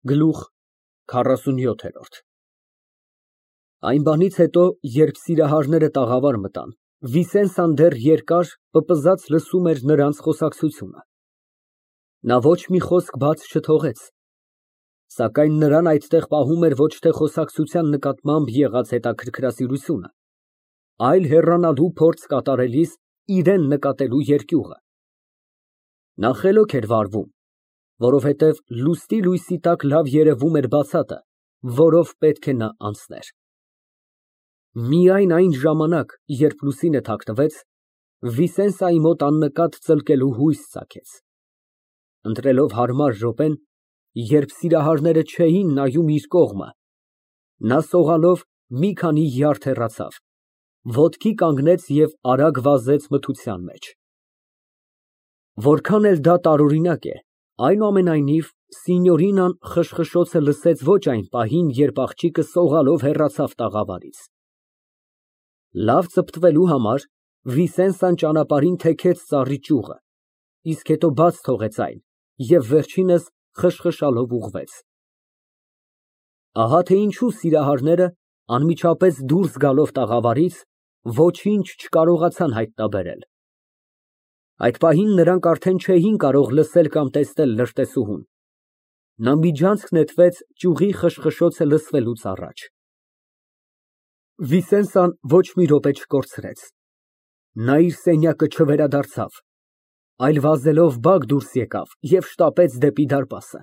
Գլուխ 47 Այն բանից հետո, երբ սիրահարները տաղավար մտան, Վիսենսան դեռ երկար, պպզած լսում էր նրանց խոսակցությունը. նա ոչ մի խոսք բաց չթողեց, սակայն նրան այդտեղ պահում էր ոչ թե խոսակցության նկատմամբ եղած հետաքրքրասիրությունը, այլ հեռանալու փորձ կատարելիս իրան նկատելու երկյուղը։ Նա խելոք էր վարվում, որովհետև լուսնի լույսի տակ լավ երևում էր բացատը, որով պետք է նա անցներ։ Միայն այն ժամանակ, երբ լուսինը թաքնվեց, Վիսենսայի մոտ աննկատ ծլկելու հույս ծագեց։ Ընտրելով հարմար րոպեն, երբ սիրահարները չէին նայում իր կողմը, նա սողալով մի քանի յարդ հեռացավ, ոտքի կանգնեց և արագ վազեց մթության մեջ։ Որքան էլ դա տարօրինակ է, այնուամենայնիվ, Սինյորինան խշխշոցը լսեց ոչ այն պահին, երբ աղջիկը սողալով հեռացավ տաղավարից։ Լավ ծպտվելու համար Վիսենսան ճանապարհին թեքեց ծառի ճյուղը, իսկ հետո բաց թողեց այն և վերջինս խշխշալով ուղղվեց։ Ահա թե ինչու սիրահարները, անմիջապես դուրս գալով տաղավարից, ոչինչ չկարողացան հայտնաբերել։ Այդ պահին նրանք արդեն չէին կարող լսել կամ տեսնել լրտեսուհուն։ Նա միջանցք նետվեց ճյուղի խշխշոցը լսվելուց առաջ։ Վիսենսան ոչ մի րոպե չկորցրեց։ Նա իր սենյակը չվերադարձավ, այլ վազելով բակ դուրս եկավ և շտապեց դեպի դարպասը։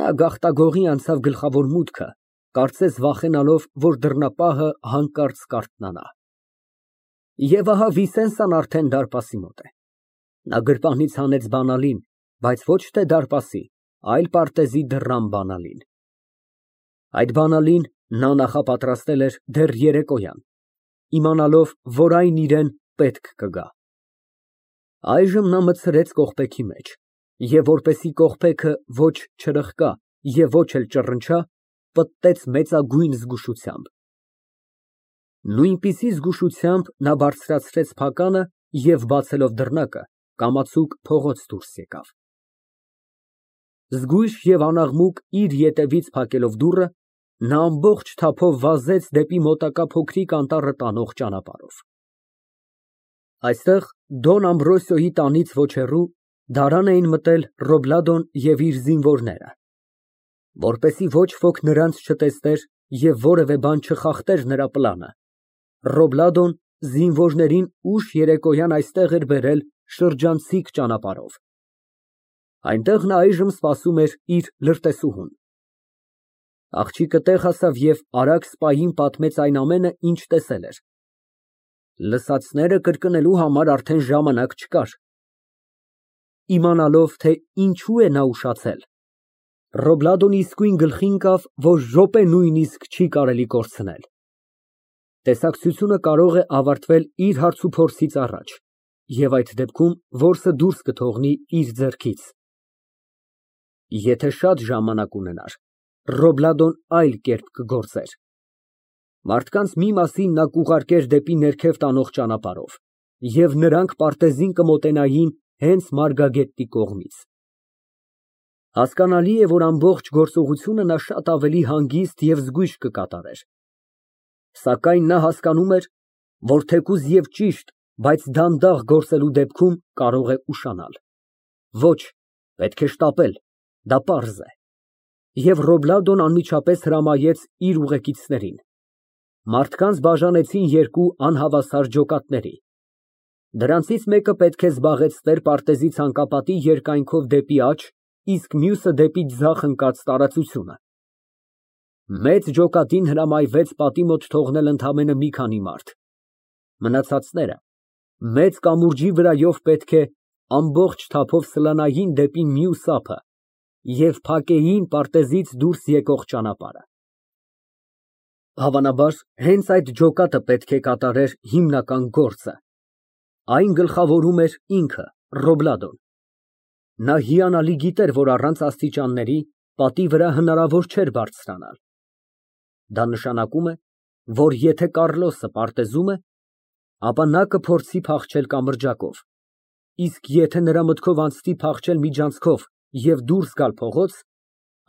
Նա գաղտագողի անցավ գլխավոր մուտքը, կարծես վախենալով, որ դռնապահը հանկարծ կարթնանա։ Եվ ահա Վիսենսան արդեն դարպասի մոտ է։ Նա գրպանից հանեց բանալին, բայց ոչ թե դարպասի, այլ պարտեզի դռան բանալին։ Այդ բանալին նա նախապատրաստել էր դեռ երեկոյան, իմանալով, որ այն իրան պետք կգա։ Այժմ նա մտցրեց կողպեքի մեջ և, որպեսզի կողպեքը ոչ չրխկա և ոչ էլ ճռնչա, պտտեց մեծագույն զգուշությամբ։ Նույնպիսի զգուշությամբ նա բարձրացրեց փականը և, բացելով դռնակը, կամացուկ փողոց դուրս եկավ։ Զգույշ և անաղմուկ իր ետևից փակելով դուռը, նա ամբողջ թափով վազեց դեպի մոտակա փոքրիկ անտառը տանող ճանապարհով։ Այստեղ, Դոն Ամբրոսիոյի տանից ոչ հեռու, դարան էին մտել Ռոբլադոն և իր զինվորները։ Որպեսզի ոչ ոք նրանց չտեսներ և որևէ բան չխախտեր նրա պլանը, Ռոբլադոն զինվորներին ուշ երեկոյան այստեղ էր բերել շրջանցիկ ճանապարհով։ Այնտեղ նա այժմ սպասում էր իր լրտեսուհուն։ Աղջիկը տեղ հասավ և արագ սպային պատմեց այն ամենը, ինչ տեսել էր։ Լսածները կրկնելու համար արդեն ժամանակ չկար։ Իմանալով, թե ինչու է նա ուշացել, Ռոբլադոն իսկույն գլխի ընկավ, որ րոպե նույնիսկ չի կարելի կորցնել։ Տեսակցությունը կարող է ավարտվել իր հարցուփորձից առաջ, և այդ դեպքում որսը դուրս կթողնի իր ձեռքից։ Եթե շատ ժամանակ ունենար, Ռոբլադոն այլ կերպ կգործեր։ Մարդկանց մի մասին նա կուղարկեր դեպի ներքև տանող ճանապարհով, և նրանք պարտեզին կմոտենային հենց Մարգագետտի կողմից։ Հասկանալի է, որ ամբողջ գործողությունը նա շատ ավելի հանգիստ և զգույշ կկատարեր։ Սակայն նա հասկանում էր, որ թեկուզ և ճիշտ, բայց դանդաղ գործելու դեպքում կարող է ուշանալ։ Ոչ, պետք է շտապել, դա պարզ է։ Եվ Ռոբլադոն անմիջապես հրամայեց իր ուղեկիցներին։ Մարդկանց բաժանեցին երկու անհավասար ջոկատների։ Դրանցից մեկը պետք է զբաղեցներ պարտեզի ցանկապատի երկայնքով դեպի աջ, իսկ մյուսը դեպի ձախ ընկած տարածությունը։ Մեծ ջոկատին հրամայվեց պատի մոտ թողնել ընդամենը մի քանի մարդ։ Մնացածները մեծ կամուրջի վրայով պետք է ամբողջ թափով սլանային դեպի մյուս ափը և փակեին պարտեզից դուրս եկող ճանապարհը։ Հավանաբար, հենց այդ ջոկատը պետք է կատարեր հիմնական գործը։ Այն գլխավորում էր ինքը, Ռոբլադոն։ Նա հիանալի գիտեր, որ առանց աստիճանների պատի վրա հնարավոր չէր բարձրանալ։ Դա նշանակում է, որ եթե Կառլոսը պարտեզում է, ապա նա կփորձի փախչել կամրջակով, իսկ եթե նրա մտքով անցնի փախչել միջանցքով և դուրս գալ փողոց,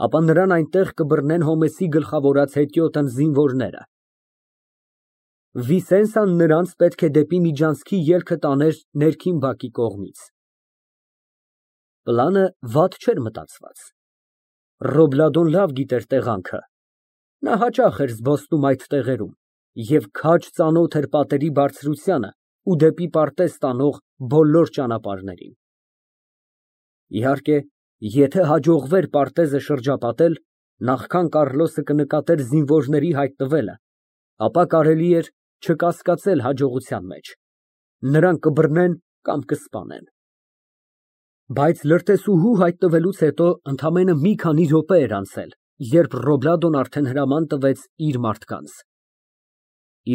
ապա նրան այնտեղ կբռնեն Հոմեսի գլխավորած հետիոտն զինվորները։ Վիսենսան նրանց պետք է դեպի միջանցքի ելքը տաներ ներքին բակի կողմից։ Պլանը վատ չէր մտածված։ Ռոբլադոն լավ գիտեր տեղանքը։ Նա հաճախ էր զբոսնում այդ տեղերում և քաջ ծանոթ էր պատերի բարձրությանը ու դեպի պարտեզ տանող բոլոր ճանապարհներին։ Իհարկե, եթե հաջողվեր պարտեզը շրջապատել, նախքան Կառլոսը կնկատեր զինվորների հայտնվելը, ապա կարելի էր չկասկածել հաջողության մեջ։ Նրանք կբռնեն կամ կսպանեն։ Բայց լրտեսուհու հայտնվելուց հետո ընդամենը մի քանի րոպե էր անցել, երբ Ռոբլադոն արդեն հրաման տվեց իր մարդկանց։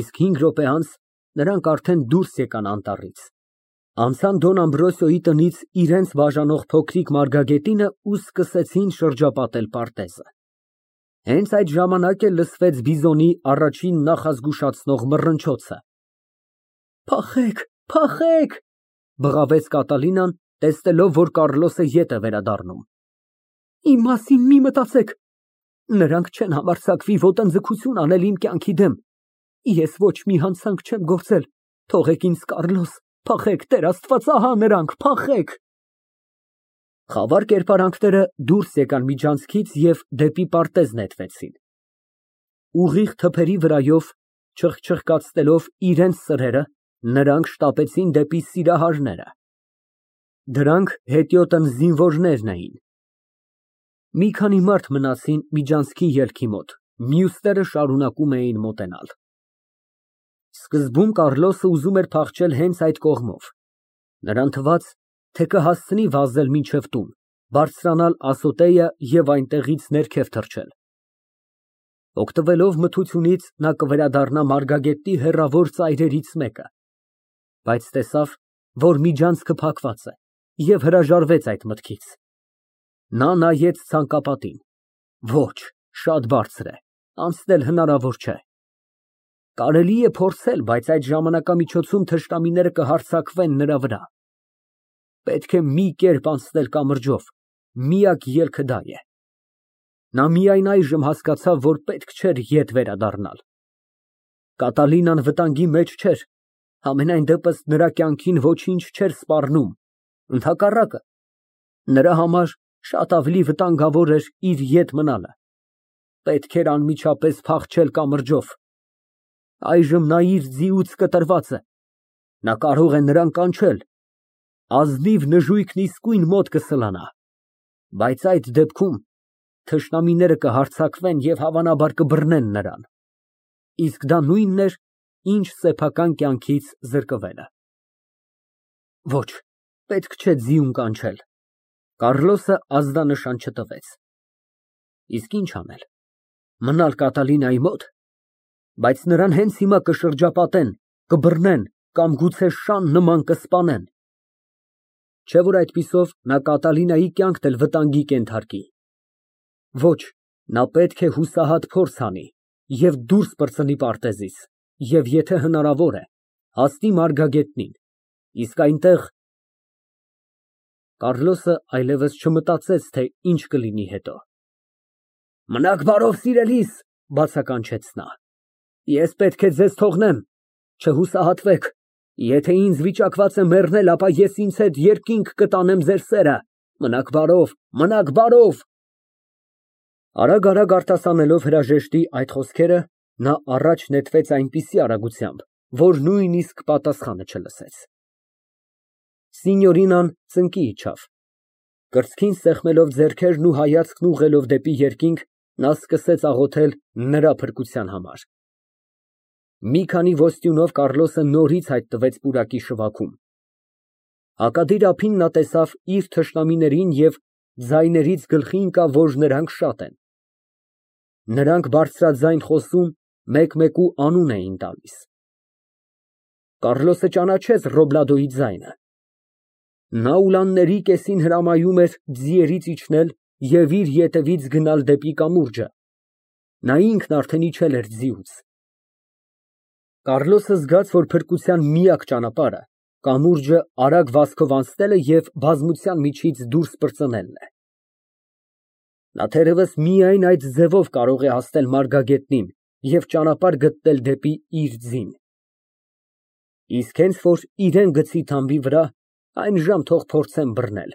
Իսկ 5 րոպե անց նրանք արդեն դուրս եկան անտառից, անցան Դոն Ամբրոսիոյի տնից իրենց բաժանող փոքրիկ մարգագետինը ու սկսեցին շրջապատել պարտեզը։ Հենց այդ ժամանակ էլ լսվեց բիզոնի առաջին նախազգուշացնող մռնչոցը։ Փախեք, փախեք, բղավեց Կատալինան, տեսնելով, որ Կառլոսը ետ է վերադառնում։ Իմ մասին մի մտածեք։ Նրանք չեն համարձակվի ոտնձգություն անել իմ կյանքի դեմ։ Ես ոչ մի հանցանք չեմ գործել։ Թողեք ինձ, Կառլոս, փախեք, Տեր Աստված, ահա նրանք, փախեք։ Խավար կերպարանքները դուրս եկան միջանցքից և դեպի պարտեզ նետվեցին։ Ուղիղ թփերի վրայով, չխչխկացնելով իրենց սրերը, նրանք շտապեցին դեպի սիրահարները։ Դրանք հետիոտն զինվորներն էին։ Մի քանի մարդ մնացին միջանցքի ելքի մոտ, մյուսները շարունակում էին մոտենալ։ Սկզբում Կառլոսը ուզում էր փախչել հենց այդ կողմով։ Նրան թվաց, թե կհասցնի վազել մինչև տուն, բարձրանալ ասոտեյը և այնտեղից ներքև թռչել։ Օգտվելով մթությունից նա կվերադառնա Մարգագետի հեռավոր ծայրերից մեկը, բայց տեսավ, որ միջանցքը փակված է և հրաժարվեց այդ մտքից։ Նա նայեց ցանկապատին։ Ոչ, շատ բարձր է, անցնել հնարավոր չէ։ Կարելի է փորձել, բայց այդ ժամանակամիջոցում թշնամիները կհարձակվեն նրա վրա։ Պետք է մի կերպ անցնել կամրջով, միակ ելքը դա է։ Նա միայն այժմ հասկացավ, որ պետք չէր ետ վերադառնալ։ Կատալինան վտանգի մեջ չէր, համենայն դեպս նրա կյանքին ոչինչ չէր սպառնում, ընդհակառակը, նրա համար շատ ավելի վտանգավոր էր իր ետ մնալը։ Պետք էր անմիջապես փախչել կամրջով։ Այժմ նա իր ձիուց կտրված է։ Նա կարող է նրան կանչել։ Ազնիվ նժույգն իսկույն մոտ կսլանա։ Բայց այդ դեպքում թշնամիները կհարձակվեն և հավանաբար կբռնեն նրան։ Իսկ դա նույնն էր, ինչ սեփական կյանքից զրկվելը։ Ոչ, պետք չէ ձիուն կանչել։ Կառլոսը ազդանշան չտվեց։ Իսկ ինչ անել։ Մնալ Կատալինայի մոտ։ Բայց նրան հենց հիմա կշրջապատեն, կբռնեն կամ գուցե շան նման կսպանեն։ Չէ՞ որ այդպիսով նա Կատալինայի կյանքն էլ վտանգի կենթարկի։ Ոչ, նա պետք է հուսահատ փորձ անի և դուրս պրծնի պարտեզից, և եթե հնարավոր է, հասնի Մարգագետնին, իսկ այնտեղ… Կառլոսը այլևս չմտածեց, թե ինչ կլինի հետո։ Մնաք բարով, սիրելիս, բացականչեց նա։ Ես պետք է ձեզ թողնեմ, չհուսահատվեք, եթե ինձ վիճակված է մեռնել, ապա ես ինձ հետ երկինք կտանեմ ձեր սերը, մնաք բարով, մնաք բարով։ Արագ արտասանելով հրաժեշտի այդ խոսքերը, նա առաջ նետվեց այնպիսի արագությամբ, որ նույնիսկ պատասխանը չլսեց։ Սինյորինան ծնկի իջավ։ Կրծքին սեղմելով ձեռքերն ու հայացքն ուղղելով դեպի երկինք, նա սկսեց աղոթել նրա փրկության համար։ Մի քանի ոստյունով Կառլոսը նորից հայտնվեց պուրակի շվաքում։ Հակադիր ափին նա տեսավ իր թշնամիներին և ձայներից գլխի ընկավ, որ նրանք շատ են։ Նրանք բարձրաձայն խոսում, մեկ֊մեկու անուն էին տալիս։ Կառլոսը ճանաչեց Ռոբլադոյի ձայնը։ Նա ուլանների կեսին հրամայում էր ձիերից իջնել և իր ետևից գնալ դեպի կամուրջը։ Նա ինքն արդեն իջել էր ձիուց։ Կառլոսը զգաց, որ փրկության միակ ճանապարհը կամուրջը արագ վազքով անցնելը և բազմության միջից դուրս պրծնելն է։ Նա թերևս միայն այդ ձևով կարող է հասնել մարգագետնին և ճանապարհ գտնել դեպի իր ձին։ Իսկ հենց որ իրան գցի թամբի վրա, այնժամ թող փորձեն բռնել։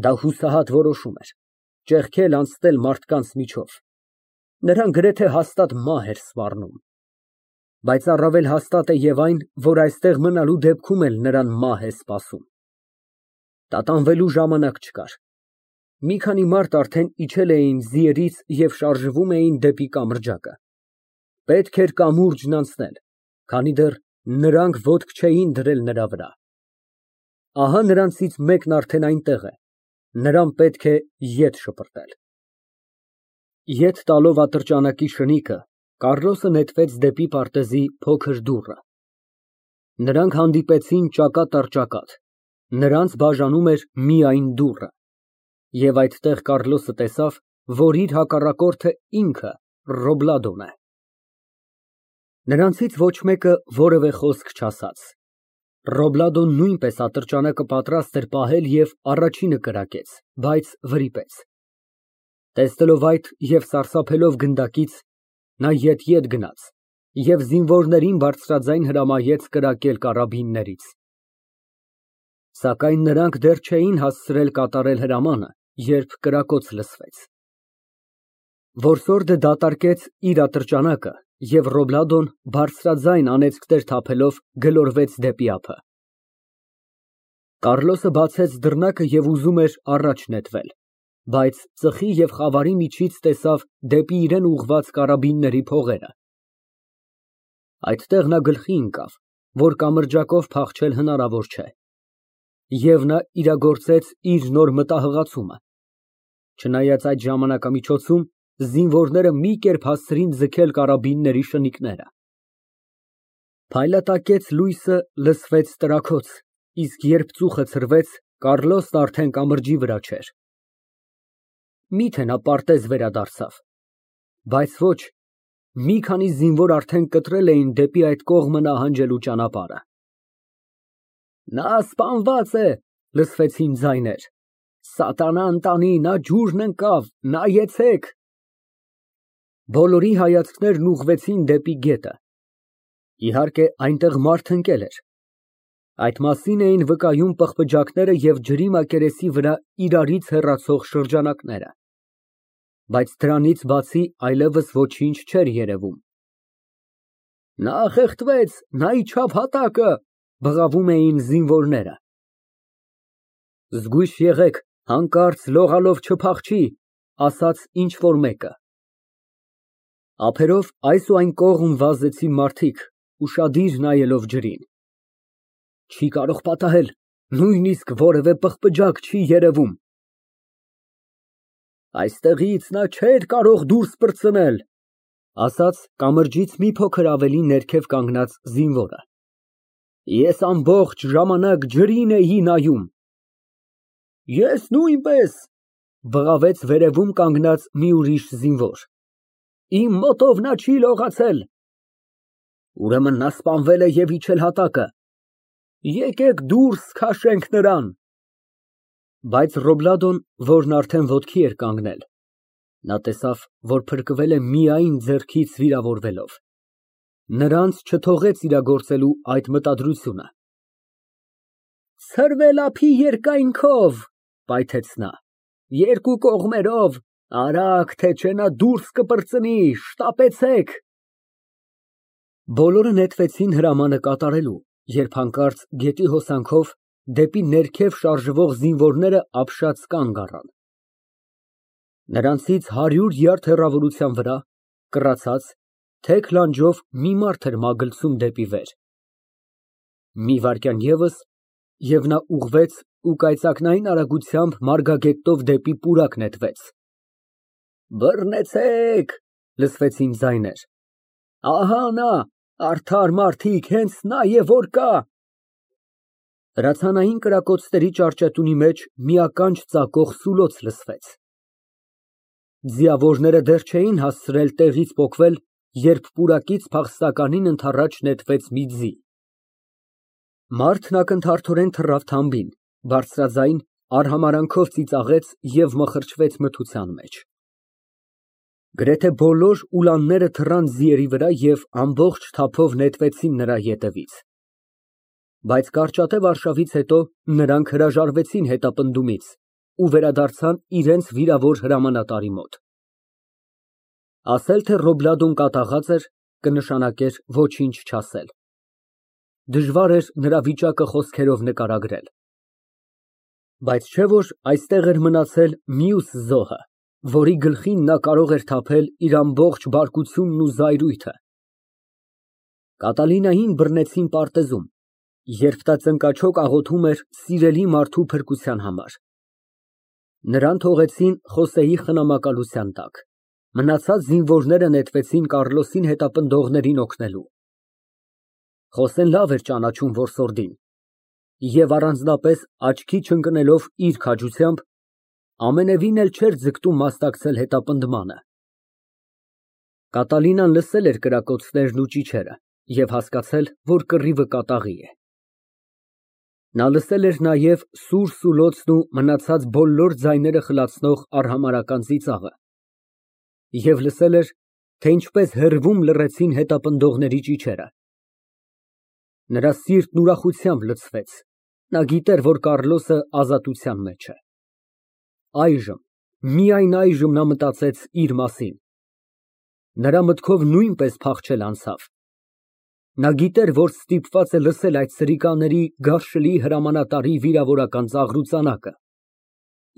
Դա հուսահատ որոշում էր, ճեղքել անցնել մարդկանց միջով, նրան գրեթե հաստատ մահ էր սպառնում։ Բայց առավել հաստատ է և այն, որ այստեղ մնալու դեպքում էլ նրան մահ է սպասում։ Տատանվելու ժամանակ չկար։ Մի քանի մարդ արդեն իջել էին ձիերից և շարժվում էին դեպի կամրջակը։ Պետք էր կամուրջն անցնել, քանի դեռ նրանք ոտք չէին դրել նրա վրա։ Ահա նրանցից մեկն արդեն այնտեղ է, նրան պետք է ետ շպրտել։ Ետ տալով ատրճանակի շնիկը, Կառլոսը նետվեց դեպի պարտեզի փոքր դուռը։ Նրանք հանդիպեցին ճակատ առ ճակատ, նրանց բաժանում էր միայն դուռը։ Եվ այդտեղ Կառլոսը տեսավ, որ իր հակառակորդը ինքը Ռոբլադոն է։ Նրանցից ոչ մեկը որևէ խոսք չասաց։ Ռոբլադոն նույնպես ատրճանակը պատրաստ էր պահել և առաջինը կրակեց, բայց վրիպեց։ Տեսնելով այդ և սարսափելով գնդակից, նա ետ գնաց և զինվորներին բարձրաձայն հրամայեց կրակել կարաբիններից։ Սակայն նրանք դեռ չէին հասցրել կատարել հրամանը, երբ կրակոց լսվեց։ Որսորդը դատարկեց իր ատրճանակը, և Ռոբլադոն բարձրաձայն անեծքներ թափելով գլորվեց դեպի ափը։ Կառլոսը բացեց դռնակը և ուզում էր առաջ նետվել, բայց ծխի և խավարի միջից տեսավ դեպի իրան ուղղված կարաբինների փողերը։ Այդտեղ նա գլխի ընկավ, որ կամրջակով փախչել հնարավոր չէ, և նա իրագործեց իր նոր մտահղացումը։ Չնայած այդ ժամանակամիջոցում զինվորները մի կերպ հասցրին ձգել կարաբինների շնիկները։ Փայլատակեց լույսը, լսվեց տրաքոց, իսկ երբ ծուխը ցրվեց, Կառլոսն արդեն կամրջի վրա չէր։ Միթե նա պարտեզ վերադարձավ։ Բայց ոչ, մի քանի զինվոր արդեն կտրել էին դեպի այդ կողմը նահանջելու ճանապարհը։ Նա սպանված է, լսվեցին ձայներ։ Սատանան տանի, նա ջուրն ընկավ, նայեցեք։ Բոլորի հայացքներն ուղղվեցին դեպի գետը։ Իհարկե, այնտեղ մարդ ընկել էր։ Այդ մասին էին վկայում պղպջակները և ջրի մակերեսի վրա իրարից հեռացող շրջանակները։ Բայց դրանից բացի այլևս ոչինչ չէր երևում։ Նա խեղդվեց, նա իջավ հատակը, բղավում էին զինվորները։ Զգույշ եղեք, հանկարծ լողալով չփախչի, ասաց ինչ֊որ մեկը։ Ափերով այս ու այն կողմ վազեցին մարդիկ, ուշադիր նայելով ջրին։ Չի կարող պատահել, նույնիսկ որևէ պղպջակ չի երևում։ Այստեղից նա չէր կարող դուրս պրծնել, ասաց կամրջից մի փոքր ավելի ներքև կանգնած զինվորը։ Ես ամբողջ ժամանակ ջրին էի նայում։ Ես նույնպես, բղավեց վերևում կանգնած մի ուրիշ զինվոր։ Իմ մոտով նա չի լողացել։ Ուրեմն նա սպանվել է և իջել հատակը։ Եկեք դուրս քաշենք նրան։ Բայց Ռոբլադոն, որն արդեն ոտքի էր կանգնել, նա տեսավ, որ փրկվել է միայն ձեռքից վիրավորվելով։ Նրանց չթողեց իրագործելու այդ մտադրությունը։ Ցրվել ափի երկայնքով, պայթեց նա, երկու կողմերով, արագ, թե չէ նա դուրս կպրծնի, շտապեցեք։ Բոլորը նետվեցին հրամանը կատարելու, երբ հանկարծ գետի հոսանքով դեպի ներքև շարժվող զինվորները ապշած կանգ առան։ Նրանցից 100 յարդ հեռավորության վրա, կռացած, թեք լանջով մի մարդ էր մագլցում դեպի վեր։ Մի վայրկյան ևս, և նա ուղղվեց ու կայծակնային արագությամբ մարգագետտով դեպի պուրակ նետվեց։ Բռնեցեք, լսվեցին ձայներ։ Ահա նա, արդար մարդիկ, հենց նա է որ կա։ Հրացանային կրակոցների ճարճետունի մեջ մի ականջ ծակող սուլոց լսվեց։ Ձիավորները դեռ չէին հասցրել տեղից պոկվել, երբ պուրակից փախստականին ընդառաջ նետվեց մի ձի։ Մարդն ակնթարթորեն թռավ թամբին, բարձրաձայն, արհամարանքով ծիծաղեց և մխրճվեց մթության մեջ։ Գրեթե բոլոր ուլանները թռան ձիերի վրա և ամբողջ թափով նետվեցին նրա ետևից։ Բայց կարճատև արշավից հետո նրանք հրաժարվեցին հետապնդումից ու վերադարձան իրենց վիրավոր հրամանատարի մոտ։ Ասել, թե Ռոբլադոն կատաղած էր, կնշանակեր ոչինչ չասել։ Դժվար էր նրա վիճակը խոսքերով նկարագրել։ Բայց չէ՞ որ այստեղ էր մնացել մյուս զոհը, որի գլխին նա կարող էր թափել իր ամբողջ բարկությունն ու զայրույթը։ Կատալինային բռնեցին պարտեզում, երբ նա ծնկաչոք աղոթում էր սիրելի մարդու փրկության համար։ Նրան թողեցին Խոսեի խնամակալության տակ, մնացած զինվորները նետվեցին Կառլոսին հետապնդողներին օգնելու։ Խոսեն լավ էր ճանաչում որսորդին և առանձնապես աչքի չընկնելով իր քաջությամբ, ամենևին էլ չէր ձգտում մասնակցել հետապնդմանը։ Կատալինան լսել էր կրակոցներն ու ճիչերը և հասկացել, որ կռիվը կատաղի է։ Նա լսել էր նաև սուր սուլոցն ու մնացած բոլոր ձայները խլացնող արհամարհական ծիծաղը և լսել էր, թե ինչպես հեռվում լռեցին հետապնդողների ճիչերը։ Նրա սիրտն ուրախությամբ լցվեց, նա գիտեր, որ Կառլոսը ազատության մեջ է։ Այժմ, միայն այժմ նա մտածեց իր մասին։ Նրա մտքով նույնպես փախչել անցավ։ Նա գիտեր, որ ստիպված է լսել այդ սրիկաների գարշլի հրամանատարի վիրավորական ծաղրուծանակը։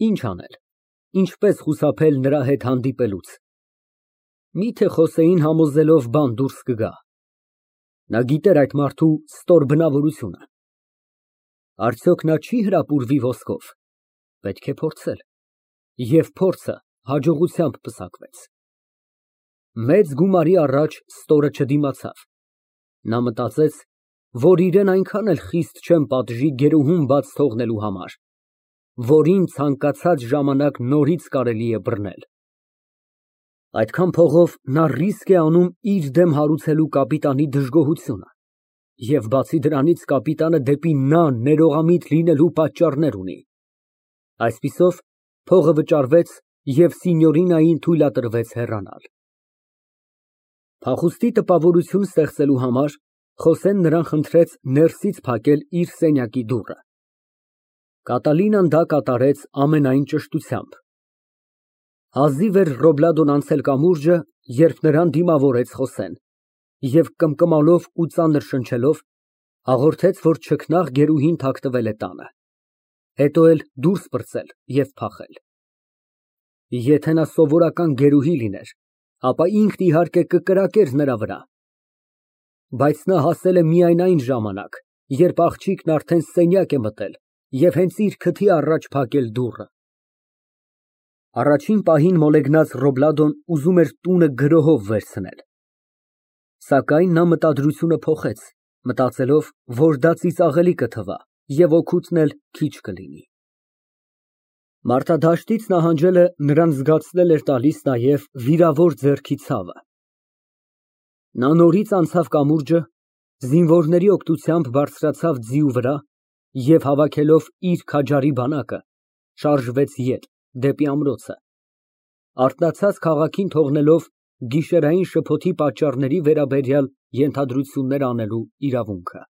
Ինչ անել, ինչպես խուսափել նրա հետ հանդիպելուց։ Միթե Խոսեին համոզելով բան դուրս կգա։ Նա գիտեր այդ մարդու ստոր բնավորությունը։ Արդյոք նա չի հրապուրվի ոսկով։ Պետք է փորձել։ Եվ փորձը հաջողությամբ պսակվեց։ Մեծ գումարի առաջ ստորը չդիմացավ։ Նա մտածեց, որ իրեն այնքան էլ խիստ չեն պատժի գերուհուն բաց թողնելու համար, որին ցանկացած ժամանակ նորից կարելի է բռնել։ Այդքան փողով նա ռիսկ է անում իր դեմ հարուցելու կապիտանի դժգոհությունը, և բացի դրանից կապիտանը դեպի նա ներողամիտ լինելու պատճառներ ունի։ Այսպիսով, փողը վճարվեց և Սինյորինային թույլատրվեց հեռանալ։ Փախուստի տպավորություն ստեղծելու համար Խոսեն նրան խնդրեց ներսից փակել իր սենյակի դուռը։ Կատալինան դա կատարեց ամենայն ճշտությամբ։ Հազիվ էր Ռոբլադոն անցել կամուրջը, երբ նրան դիմավորեց Խոսեն և կմկմալով ու ծանր շնչելով հաղորդեց, որ չքնաղ գերուհին թաքնվել է տանը, հետո էլ դուրս պրծել և փախել։ Եթե նա սովորական գերուհի լիներ, ապա ինքն իհարկե կկրակեր նրա վրա։ Բայց նա հասել է միայն այն ժամանակ, երբ աղջիկն արդեն սենյակ է մտել և հենց իր քթի առաջ փակել դուռը։ Առաջին պահին մոլեգնած Ռոբլադոն ուզում էր տունը գրոհով վերցնել։ Սակայն նա մտադրությունը փոխեց, մտածելով, որ դա ծիծաղելի կթվա և օգուտն էլ քիչ կլինի։ Մարդադաշտից նահանջելը նրան զգացնել էր տալիս նաև վիրավոր ձեռքի ցավը։ Նա նորից անցավ կամուրջը, զինվորների օգնությամբ բարձրացավ ձիու վրա և հավաքելով իր քաջարի բանակը, շարժվեց ետ, դեպի ամրոցը, արթնացած քաղաքին թողնելով գիշերային շփոթի պատճառների վերաբերյալ ենթադրություններ անելու իրավունքը։